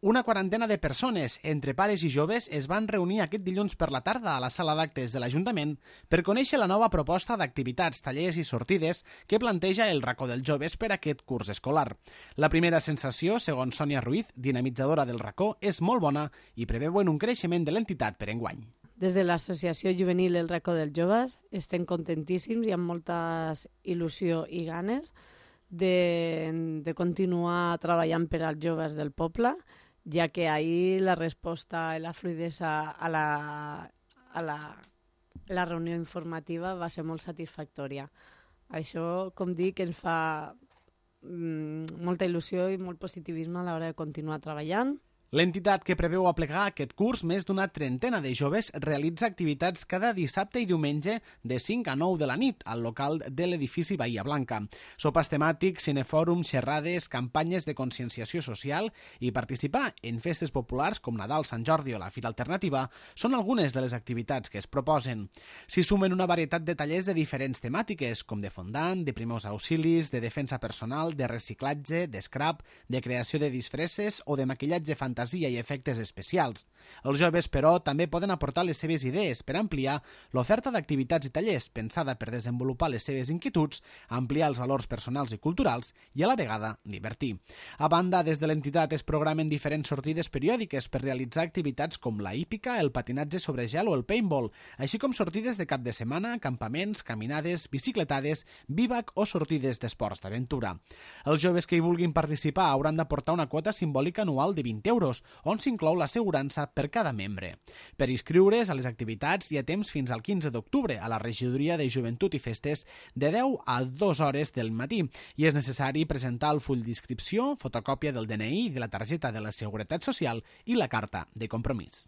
Una quarantena de persones, entre pares i joves, es van reunir aquest dilluns per la tarda a la sala d'actes de l'Ajuntament per conèixer la nova proposta d'activitats, tallers i sortides que planteja el Racó dels Joves per a aquest curs escolar. La primera sensació, segons Sònia Ruiz, dinamitzadora del Racó, és molt bona i preveuen un creixement de l'entitat per enguany. Des de l'Associació Juvenil El Racó dels Joves estem contentíssims i amb molta il·lusió i ganes de continuar treballant per als joves del poble, ja que ahir la resposta i la fluïdesa a la reunió informativa va ser molt satisfactòria. Això, com dic, ens fa molta il·lusió i molt positivisme a l'hora de continuar treballant. L'entitat, que preveu aplegar aquest curs més d'una trentena de joves, realitza activitats cada dissabte i diumenge de 5 a 9 de la nit al local de l'edifici Bahia Blanca. Sopars temàtics, cinefòrums, xerrades, campanyes de conscienciació social i participar en festes populars com Nadal, Sant Jordi o la Fira Alternativa són algunes de les activitats que es proposen. S'hi sumen una varietat de tallers de diferents temàtiques, com de fondant, de primers auxilis, de defensa personal, de reciclatge, d'escrap, de creació de disfresses o de maquillatge fantasia i efectes especials. Els joves, però, també poden aportar les seves idees per ampliar l'oferta d'activitats i tallers pensada per desenvolupar les seves inquietuds, ampliar els valors personals i culturals i a la vegada divertir. A banda, des de l'entitat es programen diferents sortides periòdiques per realitzar activitats com la hípica, el patinatge sobre gel o el paintball, així com sortides de cap de setmana, campaments, caminades, bicicletades, bivac o sortides d'esports d'aventura. Els joves que hi vulguin participar hauran d'aportar una quota simbòlica anual de 20 euros, on s'inclou l'assegurança per cada membre. Per inscriure's a les activitats hi ha temps fins al 15 d'octubre a la Regidoria de Joventut i Festes de 10 a 2 hores del matí i és necessari presentar el full d'inscripció, fotocòpia del DNI, de la targeta de la Seguretat Social i la carta de compromís.